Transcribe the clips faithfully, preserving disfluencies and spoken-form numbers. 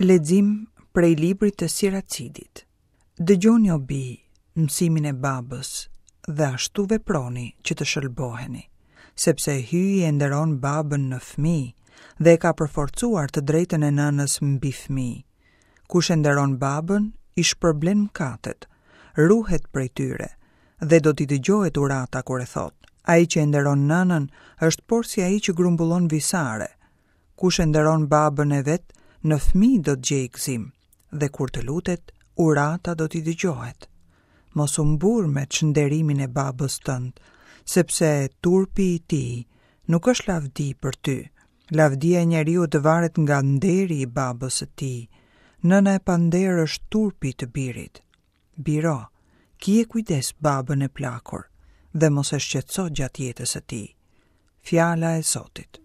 Lexim prej librit të Siracidit. Dëgjoni o bij, mësimin e babës dhe ashtu veproni që të shëlboheni, sepse Hyji e nderon babën në fëmijë dhe e ka përforcuar të drejtën e nënës mbi fëmijë. Kush e nderon babën, i shpërblen mëkatet, ruhet prej tyre dhe do t'i dëgjohet urata kur e thot. Ai që e nderon nënën është porsi ai që grumbullon visare. Kush e nderon babën e vet, në fëmijë do të gjejë gëzim dhe kur të lutet, urata do t'i dëgjohet. Mos u mburr me çnderimin e babës tënd, sepse turpi i tij nuk është lavdi për ty. Lavdia e njeriut varet nga nderi i babës së tij. Nëna e pander është turpi të birit. Biro, kije kujdes babën e plakur dhe mos e shqetëso gjatë jetës së tij. Fjala e Zotit.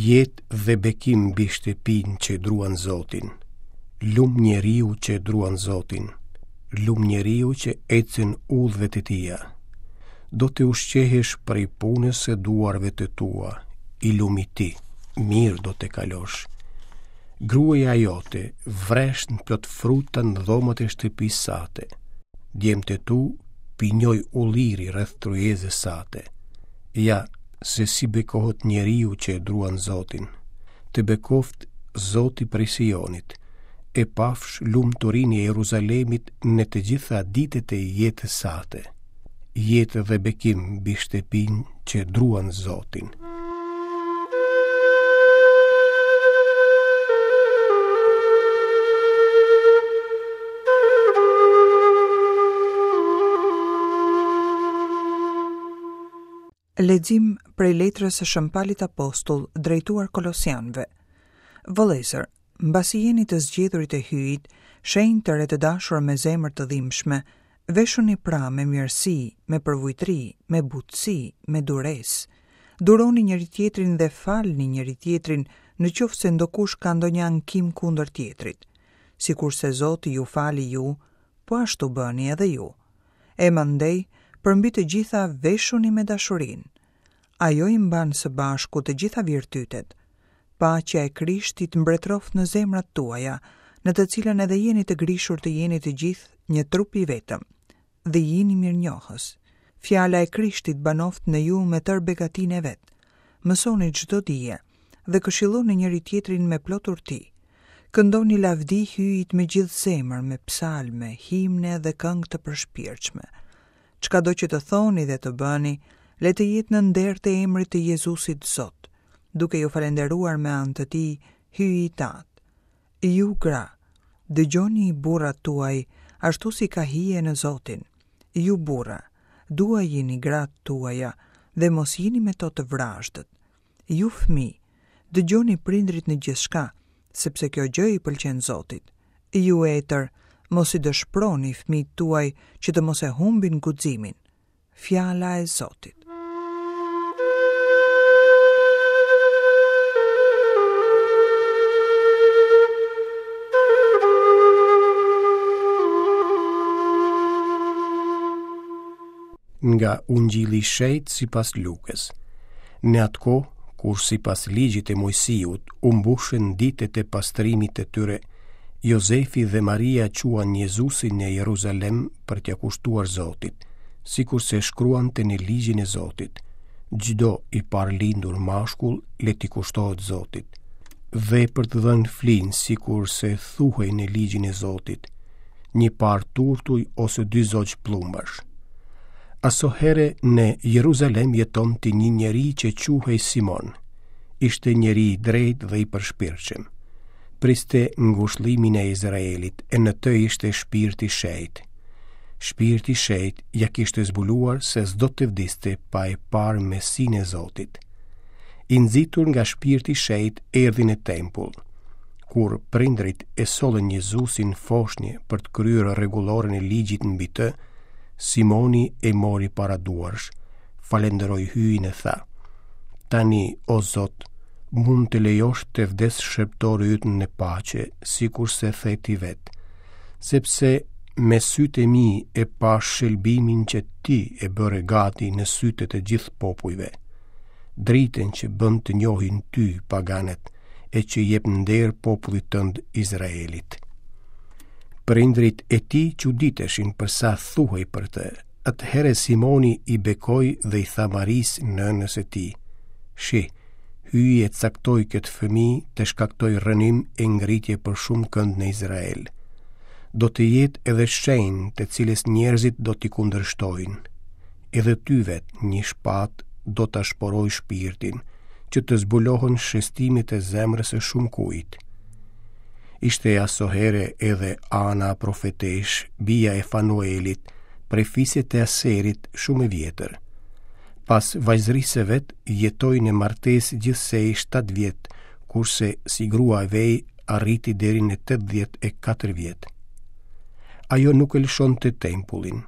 Jetë dhe bekim mbi shtëpinë që druan Zotin. Lum njeriu që druan Zotin. Lum njeriu që ecën udhëve të tija. Do të ushqehesh prej punës së duarve të tua, i lumi ti, mirë do të kalosh. Gruaja jote vresht plot fruta në dhomat e shtëpisë sate. Djemtë e tu pinjoj ulliri rreth tryezës sate. Ja, se si bekohet njeriu që e druan Zotin. Të bekoft Zoti prej Sionit, e pafsh lumturinë e Jeruzalemit në të gjitha ditët e jetës sate. Jetë dhe bekim mbi shtëpinë që druan Zotin. Lexim prej letrës së Shën Palit Apostull drejtuar Kolosianëve. Vëllezër, mbasi jeni të zgjedhurit e Hyjit, shenjtër e të dashur me zemër të dhimbshme, veshuni pra me mirësi, me përvujtri, me butësi, me duresë. Duroni njëri tjetrin dhe falni njëri tjetrin në qoftë se ndokush ka ndonjë ankim kundër tjetrit. Sikurse Zoti ju fali ju, po ashtu bëni edhe ju. E mandej, përmbi të gjitha veshuni me dashurinë. Ajo i mban së bashku të gjitha virtytet. Paqja e Krishtit mbretëroft në zemrat tuaja, në të cilën edhe jeni të grishur të jeni të gjithë një trup i vetëm, dhe jini mirënjohës. Fjala e Krishtit banoft në ju me tërë begatinë e vet. Mësoni çdo dije dhe këshilloni njëri tjetrin me plot urti. Këndoni lavdi Hyjit me gjithë zemër, me psalme, himne dhe këngë të përshpirtshme. Çka do që të thoni dhe të bëni, le të jetë në nder të emrit të Jezusit Zot, duke ju falenderuar me anë të tij Hyjit Tat. Ju gra, dëgjoni burrat tuaj ashtu si ka hije në Zotin. Ju burra, duajini gratë tuaja dhe mos jini me to të vrazhdët. Ju fëmijë, dëgjoni prindrit në gjithçka, sepse kjo gjë i pëlqen Zotit. Ju etër, mos i dëshproni fëmijët tuaj që të mos e humbin guximin. Fjala e Zotit. Nga Ungjilli i Shenjtë sipas Lukës. Në atë kohë, kur sipas ligjit të Mojsiut u mbushën ditët e pastrimit të tyre, Jozefi dhe Maria quan Jezusin në Jeruzalem për t'ia kushtuar Zotit, sikurse shkruante në ligjin e Zotit: çdo i parëlindur mashkull le t'i kushtohet Zotit. Dhe për të dhënë flin, sikurse thuhej në ligjin e Zotit, një par turtuj ose dy zogj plumbash. Asohere në Jeruzalem jetonte një njeri që quhej Simon. Ishte njeri i drejtë dhe i përshpirtshëm. Priste ngushëllimin e Izraelit, e në të ishte shpirti i shenjtë. Shpirti i shenjtë ja kishte zbuluar se s'do të vdiste pa e parë Mesinë e Zotit. I nxitur nga shpirti i shenjtë erdhi në tempull. Kur prindrit e sollën Jezusin foshnjë për të kryer rregulloren e ligjit mbi të, Simoni e mori para duarsh, falenderoi Hyjin e tha: Tani, o Zot, mund të lejosh të vdes shërbëtori yt në paqe, sikurse the ti vet, Sepse me sytë e mi e pashë shëlbimin që ti e bëre gati në sytë e të gjithë popujve, dritën që bën të njohin ty paganët e që jep nder popullit tënd Izraelit. Prindërit e tij çuditeshin për sa thuhej për të. Atëherë Simoni i bekoi dhe i tha Marisë nënës së tij: Shih, Hyji e caktoi këtë fëmijë të shkaktojë rrënim e ngritje për shumëkënd në Izrael. Do të jetë edhe shenjë të cilës njerëzit do t'i kundërshtojnë. Edhe ty vetë një shpatë do ta shporojë shpirtin, që të zbulohen shestimet e zemrës së shumëkujt. Ishte asohere edhe Ana profeteshë, bija e Fanuelit, prej fisit të Aserit, shumë e vjetër. Pas vajzërisë së vet, jetoi në martesë gjithsej shtatë vjet, kurse si grua e vej arriti deri në tetëdhjetë e katër vjet. Ajo nuk e lëshonte tempullin,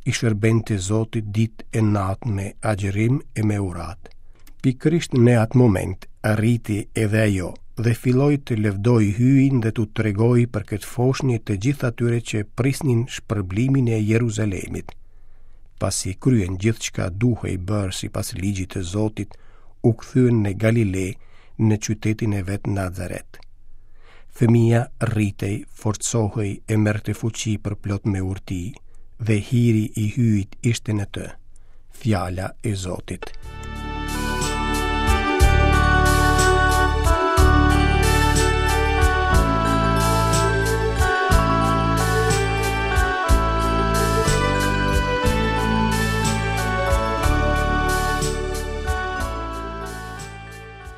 i shërbente Zotit ditë e natë me agjërim e me uratë. Pikërisht në atë moment arriti edhe ajo dhe filloi të lëvdojë Hyjin dhe t'u tregojë për këtë foshnjë të gjithë atyre që prisnin shpërblimin e Jeruzalemit. Pasi kryen gjithçka duhej bërë sipas ligjit të Zotit, u kthyen në Galile, në qytetin e vet Nazaret. Fëmija rritej, forcohej e merrte fuqi përplot me urti, dhe hiri i Hyjit ishte në të. Fjala e Zotit.